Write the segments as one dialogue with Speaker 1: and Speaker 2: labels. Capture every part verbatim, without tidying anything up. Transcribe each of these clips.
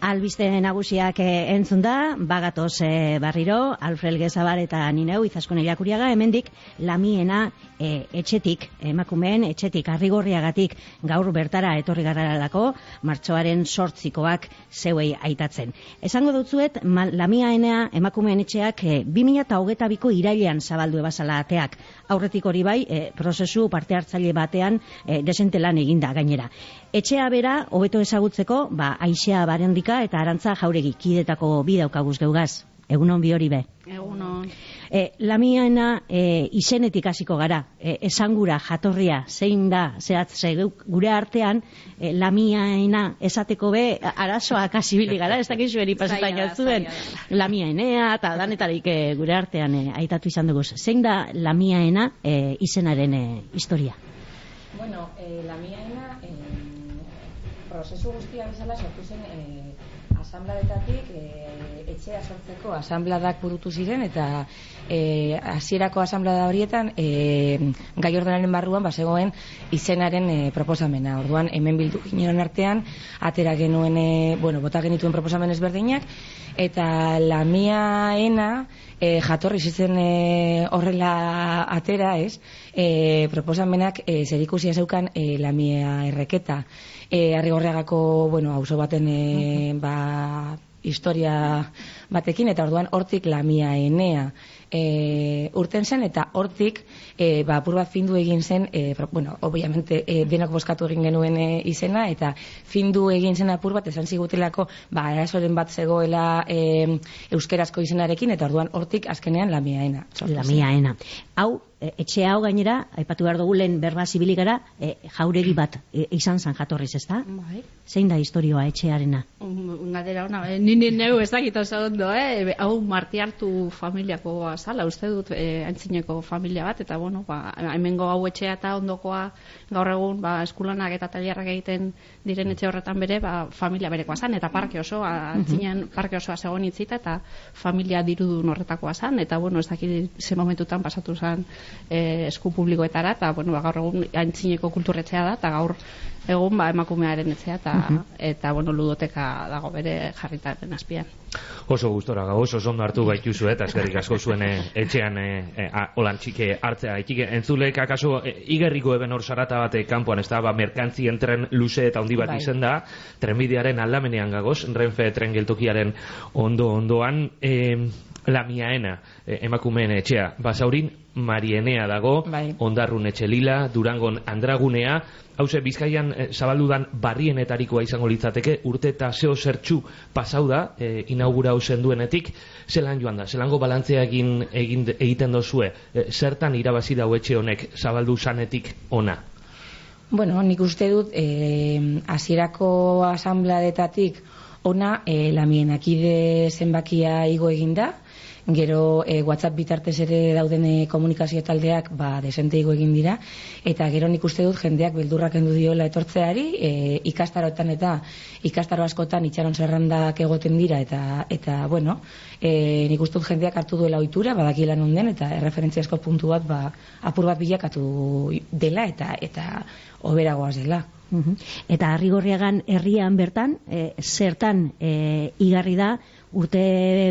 Speaker 1: Albiste nagusiak eh, entzun da, bagatoz eh, barriro, Alfred Gezabal eta nineu, Izaskun Iriakuriaga, hemendik lamiena eh, etxetik, emakumeen etxetik, arrigorriagatik gaur bertara etorri garraralako, martxoaren sortzikoak zeuei aitatzen. Esango dutzuet, lamiaenea emakumeen etxeak eh, bi mila hogeita biko irailean zabaldu ebazala ateak. Aurretik hori bai, eh, prozesu parte hartzaile batean eh, desente lan eginda gainera. Etxea bera, hobeto ezagutzeko, ba, Aixea Barendika eta Arantza Jauregi, kidetako bi daukaguz geugaz. Egunon bi hori be.
Speaker 2: Egunon.
Speaker 1: E, lamiaena e, izenetik hasiko gara, e, esangura, jatorria, zein da, zehatz, gure artean, e, lamiaena esateko be, arazoak hasibili gara, ez dakizu eri pasetaino zuen, lamiaenea, eta danetarik e, gure artean e, aitatu izan dugu. Zein da lamiaena e, izenaren e, historia?
Speaker 2: Bueno, eh, lamiaena, eh, prozesu guztia bezala sortu zen eh, asambladetatik eh, etxea sortzeko asambladak burutu ziren eta eh, hasierako asamblada horietan eh, gai ordenaren barruan bazegoen izenaren eh, proposamena. Orduan hemen bildu ginen artean atera genuen eh, bueno, bota genituen proposamen ezberdinak eta lamiaena eh, jatorri zizen eh, horrela atera, ez? Eh, proposamenak eh, zerikusia zeukan eh, lamia erreketa. E, Arrigorriagako, bueno, auzo baten e, ba, historia batekin, eta orduan hortik lamiaenea e, urten zen, eta hortik e, ba, apur bat findu egin zen, e, pro, bueno, obviamente e, denok bozkatu egin genuen e, izena, eta findu egin zen apur bat, esan zigutelako, ba, erasoren bat zegoela e, euskerazko izenarekin, eta orduan hortik azkenean lamiaena.
Speaker 1: Lamiaena. Hau, etxe hau gainera, aipatu behar dugu lehen berba zibili gara, e, jauregi bat e, izan zan jatorriz, ez da?
Speaker 2: Bai.
Speaker 1: Zein da historioa etxearena?
Speaker 2: Galdera ona, eh? Nini neu ez dakit oso ondo, eh? Hau Martiartu familiako azala, uste dut, eh, antzineko familia bat, eta bueno, ba, hemengo hau etxea eta ondokoa gaur egun, ba, eskulanak eta tailerrak egiten diren etxe horretan bere, ba, familia berekoa zan, eta parke osoa, antzinean parke osoa zegoen itzita, eta familia dirudun horretakoa zan, eta bueno, ez dakit ze momentutan pasatu zan Eh, esku publikoetara, eta bueno, ba, gaur egun antzineko kulturretxea da, eta gaur egun ba, emakumearen etxea, eta, uh -huh. eta bueno, ludoteka dago bere jarritaren azpian.
Speaker 3: Oso gustora gau, oso ondo hartu gaituzu, eta eskerrik asko zuen e, etxean e, e, holan txike hartzea. Itxike, entzulek akaso e, igerriko eben hor sarata bate kanpoan, ez da, ba, merkantzien tren luze eta handi bat bai. Izen da, trenbidearen aldamenean gagoz, Renfe tren geltokiaren ondo-ondoan, e, lamiaena, e, emakumeen etxea, Basaurin Marienea dago, bai. Ondarrun Etxelila, Durangon Andragunea, hauze Bizkaian e, zabaldudan barrienetarikoa izango litzateke, urte eta zeo zertxu pasau da, e, inaugurau zenduenetik, zelan joan da, zelango balantzea egin, egin egiten dozue, e, zertan irabazi dau etxe honek zabaldu zanetik ona?
Speaker 2: Bueno, nik uste dut, hasierako e, asambladetatik ona e, lamienakide zenbakia igo eginda, gero e, WhatsApp bitartez ere dauden e, komunikazio taldeak ba, desente igo egin dira, eta gero nik uste dut jendeak beldurrak endu diola etortzeari, e, ikastaroetan eta ikastaro askotan itxaron zerrandak egoten dira, eta, eta bueno, e, nik uste dut jendeak hartu duela ohitura, badakila non den, eta erreferentziazko puntu bat ba, apur bat bilakatu dela, eta eta hoberagoaz dela.
Speaker 1: Uh-huh. Eta Arrigorriagan herrian bertan, e, zertan e, igarri da, urte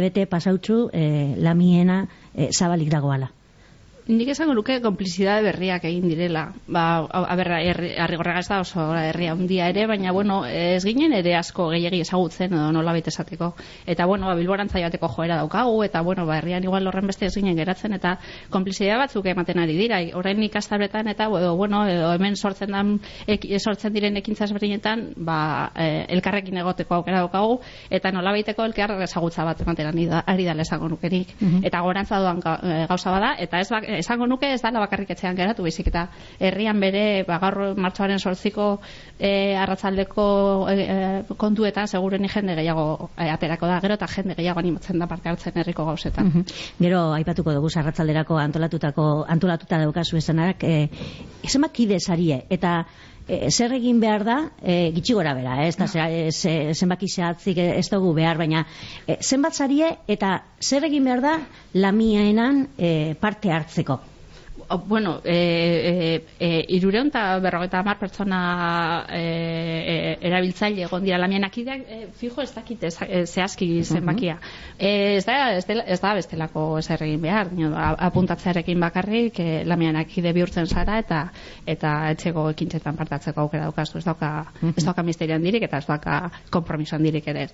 Speaker 1: bete pasautzu e, lamiena e, zabalik dagoala?
Speaker 4: Nik esango nuke konplizidade berriak egin direla. Ba, a ber, Arrigorriaga ez da oso herria handia ere, baina bueno, ez ginen ere asko gehiegi ezagutzen edo nolabait esateko. Eta bueno, ba, Bilborantza joateko joera daukagu, eta bueno, ba, herrian igual horren beste ez ginen geratzen, eta konplizidade batzuk ematen ari dira. Orain ikastabletan eta edo, bueno, edo hemen sortzen dan, ek, sortzen diren ekintza ezberdinetan, ba, e, elkarrekin egoteko aukera daukagu, eta nolabaiteko elkar ezagutza bat ematen ari da esango nukerik. Uh-huh. Eta gorantza doan gauza bada, eta ez bak, esango nuke ez dala bakarrik etxean geratu, baizik eta herrian bere ba, gaur martxoaren sortziko e, arratzaldeko e, kontuetan seguren jende gehiago e, aterako da, gero eta jende gehiago animatzen da parte hartzen herriko gauzetan.
Speaker 1: Uh-huh. Gero aipatuko dugu arratzalderako antolatutako antolatuta daukazu esanak, e, esamak kide sarie, eta E, zer egin behar da, e, gitxi gora bera, eh? Ez da, no. ze, zenbaki zehatzik ez dugu behar, baina e, zenbat zarie eta zer egin behar da lamiaenan e, parte hartzeko?
Speaker 4: bueno, e, e, e, irureun eta berrogeita hamar pertsona e, e, erabiltzaile egon dira lamien akideak, e, fijo ez dakit ez, e, zehazki zenbakia. E, ez, da, ez, da, ez da bestelako ezer egin behar, dino, apuntatzearekin bakarrik e, lamien akide bihurtzen zara eta eta etxeko ekintzetan partatzeko aukera daukazu, ez dauka, ez dauka misterian dirik eta ez dauka kompromisoan dirik ere.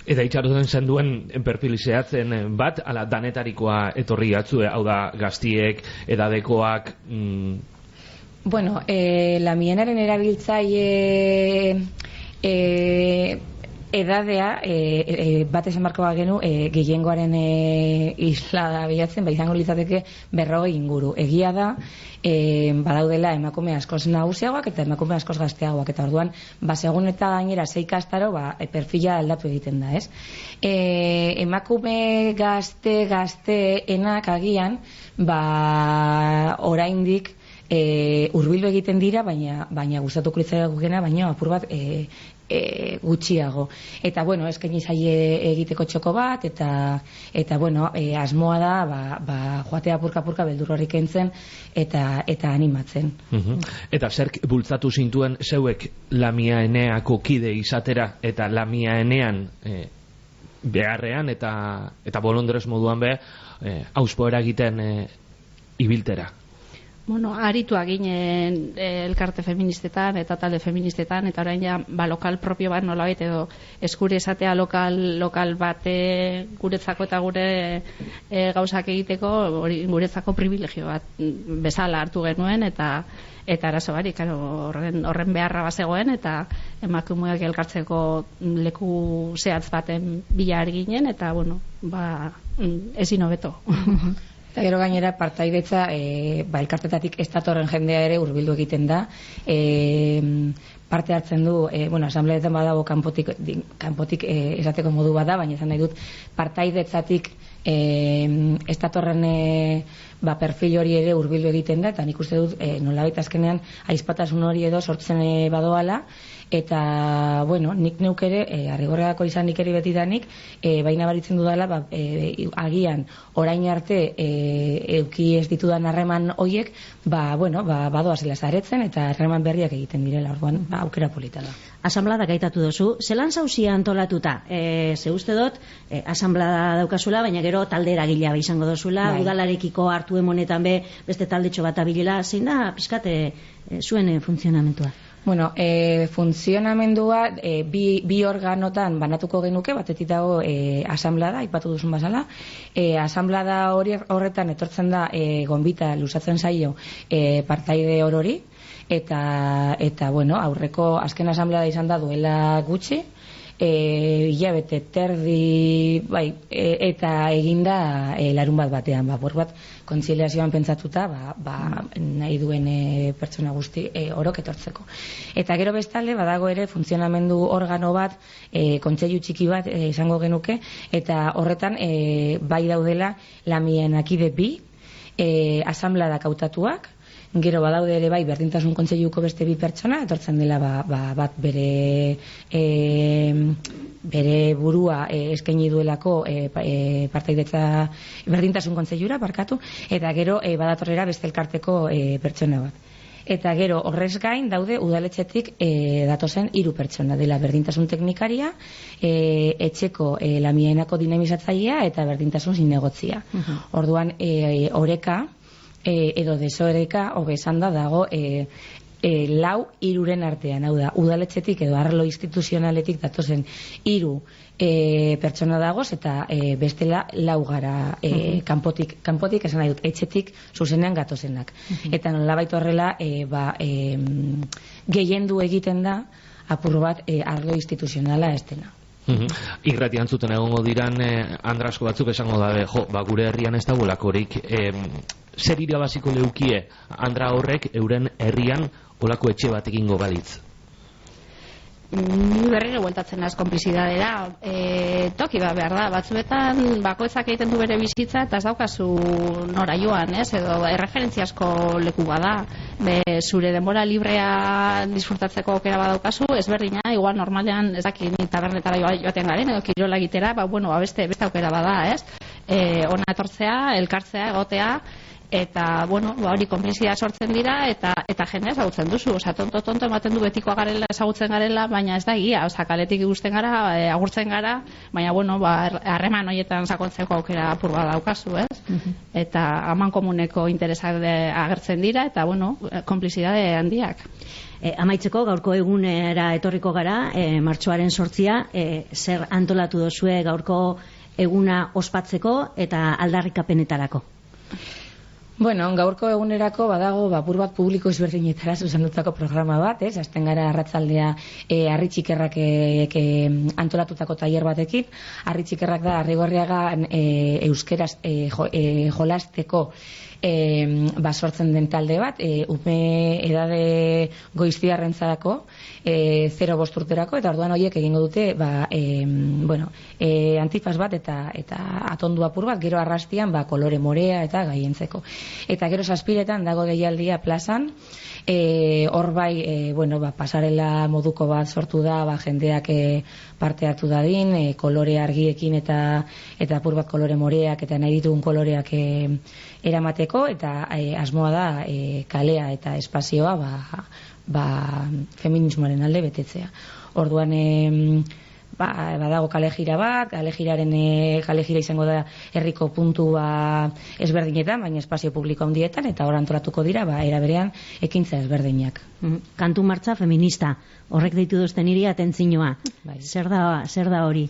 Speaker 3: Eta itxaroten zen duen perfilizeatzen bat, ala danetarikoa etorri atzue, hau da gaztiek, edadekoak... Mm...
Speaker 2: Bueno, eh, lamienaren erabiltzaile eh, edadea eh, eh, bat esan barko bagenu eh, gehiengoaren eh, isla da bilatzen, ba izango litzateke berrogei inguru. Egia da, eh, badaudela emakume askoz nagusiagoak eta emakume askoz gazteagoak, eta orduan, ba segun eta gainera sei kastaro, ba perfila aldatu egiten da, ez? Eh, emakume gazte gazteenak agian, ba oraindik E, urbildu egiten dira, baina baina gustatuko litzaigukeena, baina apur bat e, e, gutxiago. Eta bueno, eskaini zaie egiteko txoko bat, eta eta bueno, e, asmoa da ba, ba joatea apurka-apurka beldur horrik entzen eta eta animatzen.
Speaker 3: Uh-huh. Eta zerk bultzatu zintuen zeuek Lamia Eneako kide izatera, eta Lamia Enean e, beharrean eta eta bolondrez moduan be e, auspo eragiten e, ibiltera?
Speaker 4: Bueno, aritua ginen eh, elkarte feministetan eta talde feministetan, eta orain ja ba, lokal propio bat nolabait edo eskure esatea lokal lokal bate guretzako eta gure eh, gauzak egiteko hori guretzako privilegio bat bezala hartu genuen, eta eta arazo bari, claro, horren horren beharra bazegoen, eta emakumeak elkartzeko leku zehatz baten bila ginen, eta bueno, ba ezin hobeto.
Speaker 2: Eta gero gainera partaidetza e, ba, elkartetatik ez datorren jendea ere hurbildu egiten da, e, parte hartzen du, e, bueno, asambleetan badago kanpotik, kanpotik e, esateko modu bada, baina izan nahi dut partaidetzatik e, ez datorren e, ba, perfil hori ere hurbildu egiten da, eta nik uste dut e, nolabait azkenean aizpatasun hori edo sortzen e, badoala, eta bueno, nik neuk ere e, arrigorreako izan nik ere betidanik e, baina baritzen dudala ba, e, agian orain arte e, euki ez ditudan harreman hoiek ba, bueno, ba, badoa zela zaretzen eta harreman berriak egiten direla, orduan ba, aukera polita da.
Speaker 1: Asamblada gaitatu duzu, zelan zauzia antolatuta? E, ze uste dut, e, asamblada daukazula, baina gero talde eragilea izango dozula, bai. Udalarekiko hartu emonetan be, beste taldetxo bat abilela, zein da, pizkate, e, zuen e, funtzionamentua?
Speaker 2: Bueno, e, funtzionamendua e, bi, bi organotan banatuko genuke, batetik dago e, asamblada, aipatu duzun bazala. E, asamblada hori horretan etortzen da e, gonbita luzatzen zaio e, partaide orori, eta, eta bueno, aurreko azken asamblada izan da duela gutxi, e, hilabete terdi bai, e, eta eginda e, larun bat batean, ba, bor bat kontziliazioan pentsatuta ba, ba, nahi duen e, pertsona guzti e, orok etortzeko. Eta gero bestalde badago ere funtzionamendu organo bat, e, kontseilu txiki bat e, izango genuke, eta horretan e, bai daudela Lamien akide bi, e, asamladak hautatuak, gero badaude ere bai berdintasun kontseiluko beste bi pertsona, etortzen dela ba, ba, bat bere e, bere burua e, eskaini duelako e, e, partaidetza berdintasun kontseilura barkatu, eta gero e, badatorrera beste elkarteko e, pertsona bat. Eta gero horrez gain daude udaletxetik e, datozen hiru pertsona, dela berdintasun teknikaria, e, etxeko e, Lamienako dinamizatzailea eta berdintasun zinegotzia. Uh-huh. Orduan e, oreka E, edo desoreka hobesan da dago e, e, lau hiruren artean, hau da, udaletxetik edo arlo instituzionaletik datozen hiru e, pertsona dagoz, eta e, bestela lau gara e, uh-huh. kanpotik, kanpotik esan nahi dut, etxetik zuzenean gatozenak. Uh-huh. Eta nolabait horrela e, ba, e, gehiendu egiten da apur bat e, arlo instituzionala ez dena.
Speaker 3: Uhum. Irratian zuten egongo diran eh, andrasko batzuk esango dabe, jo, ba, gure herrian ez dagoelakorik eh, zer irabaziko leukie andra horrek euren herrian olako etxe bat egingo balitz?
Speaker 4: Ni berriro bueltatzen az konplizidadera, e, toki ba behar da, batzuetan bakoitzak egiten du bere bizitza eta ez daukazu nora joan, ez, edo erreferentziasko leku bada, be, zure denbora librea disfrutatzeko aukera badaukazu, ez berdina, igual normalean ez dakit ni tabernetara joaten garen, edo kirola egitera, ba, bueno, ba, beste, beste aukera bada, ez, e, ona etortzea, elkartzea, egotea, eta bueno, ba hori konplizia sortzen dira eta eta jendea ezagutzen duzu, osea tonto tonto ematen du betikoa garela, ezagutzen garela, baina ez da egia, osea kaletik ikusten gara, e, agurtzen gara, baina bueno, ba harreman hoietan sakontzeko aukera apur bat daukazu, ez? Uh-huh. Eta aman komuneko interesak de, agertzen dira eta bueno, konplizidade handiak.
Speaker 1: E, amaitzeko gaurko egunera etorriko gara, e, martxoaren sortzia, e, zer antolatu dozue gaurko eguna ospatzeko eta aldarrikapenetarako?
Speaker 2: Bueno, gaurko egunerako badago bapur bat publiko ezberdinetara zuzendutako programa bat, ez? Hasten gara arratsaldea e, Harri Txikerrak e, e, antolatutako tailer batekin. Harri Txikerrak da Arrigorriaga e, euskeraz e, jo, e, jolasteko E, ba, sortzen den talde bat, e, ume edade goiztiarrentzarako, e, zero bost urterako, eta orduan horiek egingo dute ba, e, bueno, e, antifaz bat eta, eta atondu apur bat, gero arrastian ba, kolore morea eta gaientzeko. Eta gero zazpiretan dago deialdia plazan, e, hor bai, e, bueno, ba, pasarela moduko bat sortu da, ba, jendeak e, parte hartu dadin, e, kolore argiekin eta eta apur bat kolore moreak eta nahi ditugun koloreak e, eramateko, eta e, asmoa da e, kalea eta espazioa ba, ba, feminismoaren alde betetzea. Orduan e, ba, badago kale jira bat, kale jiraren e, kale jira izango da herriko puntua ezberdinetan, baina espazio publiko handietan, eta hor antolatuko dira ba, era berean ekintza ezberdinak.
Speaker 1: Kantu martxa feminista, horrek deitu duzten niri atentzinoa. Bai. Zer da, zer da hori?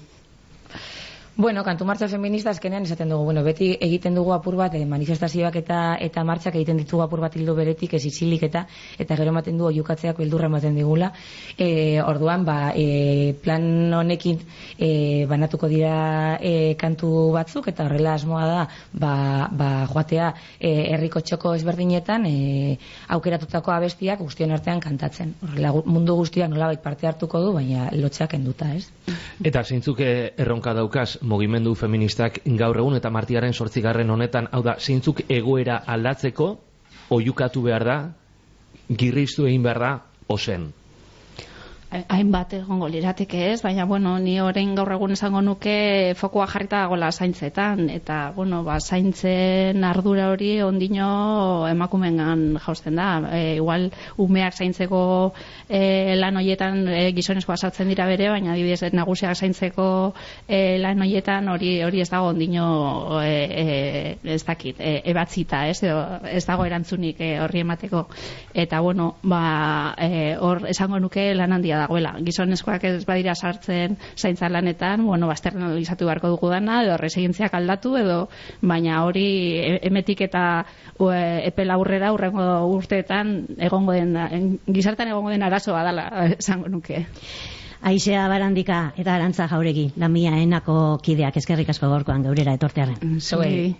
Speaker 2: Bueno, kantu martxa feminista azkenean esaten dugu, bueno, beti egiten dugu apur bat, eh, manifestazioak eta eta martxak egiten ditugu apur bat hildo beretik, ez isilik eta eta gero ematen du oiukatzeak beldurra ematen digula. E, orduan, ba, e, plan honekin e, banatuko dira e, kantu batzuk, eta horrela asmoa da, ba, ba, joatea e, herriko txoko ezberdinetan e, aukeratutako abestiak guztion artean kantatzen. Horrela mundu guztiak nolabait parte hartuko du, baina lotxeak enduta, ez?
Speaker 3: Eta zeintzuk erronka daukaz mugimendu feministak gaur egun eta martiaren zortzigarren honetan, hau da, zeintzuk egoera aldatzeko oiukatu behar da, girriztu egin behar da, ozen?
Speaker 4: Hainbat egongo lirateke ez, baina bueno, ni orain gaur egun esango nuke fokoa jarrita dagoela zaintzetan, eta bueno, ba, zaintzen ardura hori ondino emakumengan jausten da. E, igual umeak zaintzeko e, lan hoietan e, gizonezkoa sartzen dira bere, baina adibidez nagusiak zaintzeko e, lan hoietan hori hori ez dago ondino e, e, ez dakit, e, ebatzita, ez, edo, ez dago erantzunik e, horri emateko. Eta bueno, ba, e, hor esango nuke lan handia dagoela. Gizonezkoak ez badira sartzen zaintza lanetan, bueno, bazternalizatu beharko dugu dana, edo resigentziak aldatu, edo baina hori emetik eta e, epe laburrera urrengo urteetan egongo den, gizartan egongo den arazoa dela, esango nuke.
Speaker 1: Aizea Barandika eta Arantza Jauregi, Lamia Enako kideak, eskerrik asko gaurkoan geurera etortearen.
Speaker 4: Zuei.